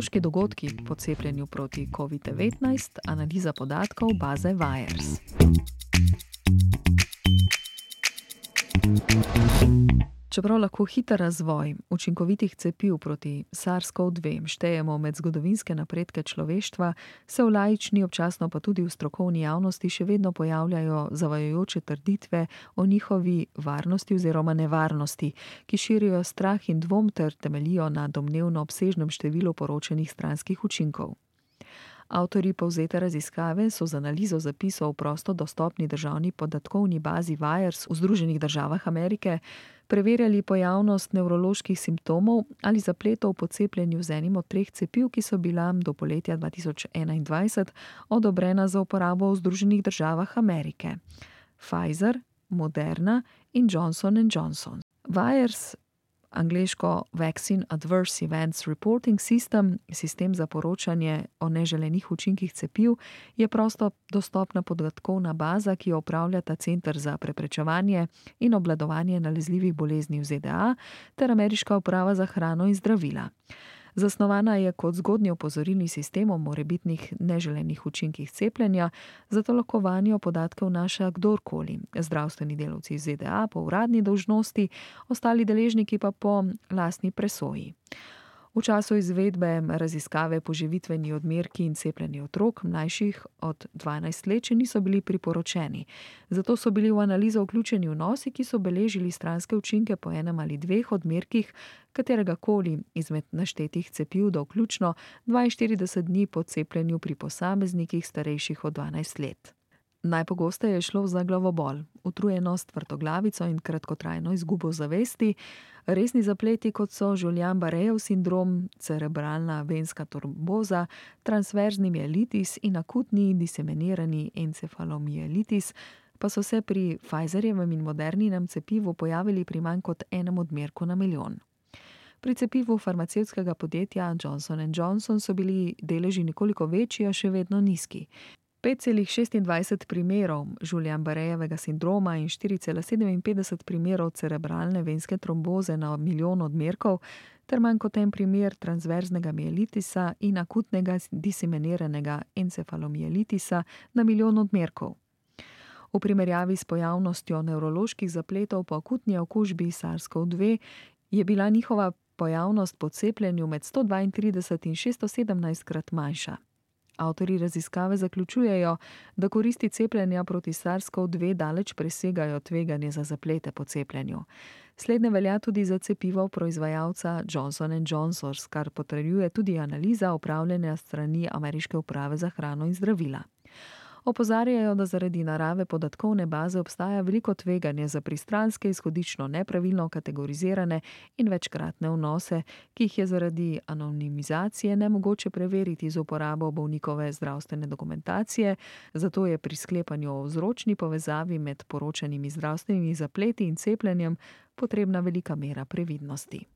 nevrološki dogodki po cepljenju proti COVID-19, analiza podatkov baze VIRES. Čeprav lahko hiter razvoj učinkovitih cepiv proti SARS-CoV-2 štejemo med zgodovinske napredke človeštva, se v laični, občasno pa tudi v strokovni javnosti še vedno pojavljajo zavajajoče trditve o njihovi varnosti oziroma nevarnosti, ki širijo strah in dvom ter temeljijo na domnevno obsežnem številu poročenih stranskih učinkov. Avtorji povzete raziskave so z analizo zapisov v prosto dostopni državni podatkovni bazi VIRES v Združenih državah Amerike preverjali pojavnost nevroloških simptomov ali zapletov po cepljenju z enim od 3 cepiv, ki so bila do poletja 2021 odobrena za uporabo v Združenih državah Amerike: Pfizer, Moderna in Johnson & Johnson. VIRES, angleško Vaccine Adverse Events Reporting System, sistem za poročanje o neželenih učinkih cepiv, je prosto dostopna podatkovna baza, ki jo upravljata Center za preprečevanje in obvladovanje nalezljivih bolezni v ZDA ter Ameriška uprava za hrano in zdravila. Zasnovana je kot zgodnji opozorilni sistem o morebitnih neželenih učinkih cepljenja, zato lahko vanjo podatke vnaša kdorkoli, zdravstveni delavci iz ZDA po uradni dolžnosti, ostali deležniki pa po lastni presoji. V času izvedbe raziskave poživitveni odmerki in cepljenje otrok, mlajših od 12 let, še niso bili priporočeni. Zato so bili v analizo vključeni vnosi, ki so beležili stranske učinke po enem ali 2 odmerkih kateregakoli izmed naštetih cepiv do vključno 42 dni po cepljenju pri posameznikih starejših od 12 let. Najpogosteje je šlo za glavobol, utrujenost, vrtoglavico in kratkotrajno izgubo zavesti, resni zapleti, kot so Guillain-Barréjev sindrom, cerebralna venska tromboza, transverzni mielitis in akutni diseminirani encefalomielitis, pa so se pri Pfizerjevem in Moderninem cepivu pojavili pri manj kot 1 odmerku na milijon. Pri cepivu farmacevtskega podjetja Johnson & Johnson so bili deleži nekoliko večji, a še vedno nizki. 5,26 primerov Guillain-Barréjevega sindroma in 4,57 primerov cerebralne venske tromboze na milijon odmerkov ter manj kot 1 primer transverznega mielitisa in akutnega diseminiranega encefalomielitisa na milijon odmerkov. V primerjavi s pojavnostjo nevroloških zapletov po akutni okužbi SARS-CoV-2 je bila njihova pojavnost po cepljenju med 132 in 617 krat manjša. Avtorji raziskave zaključujejo, da koristi cepljenja proti SARS-CoV-2 daleč presegajo tveganje za zaplete po cepljenju. Slednje velja tudi za cepivo proizvajalca Johnson & Johnson, kar potrjuje tudi analiza opravljena strani Ameriške uprave za hrano in zdravila. Opozarjajo, da zaradi narave podatkovne baze obstaja veliko tveganje za pristranske, izhodično nepravilno kategorizirane in večkratne vnose, ki jih je zaradi anonimizacije nemogoče preveriti z uporabo bolnikove zdravstvene dokumentacije, zato je pri sklepanju o vzročni povezavi med poročanimi zdravstvenimi zapleti in cepljenjem potrebna velika mera previdnosti.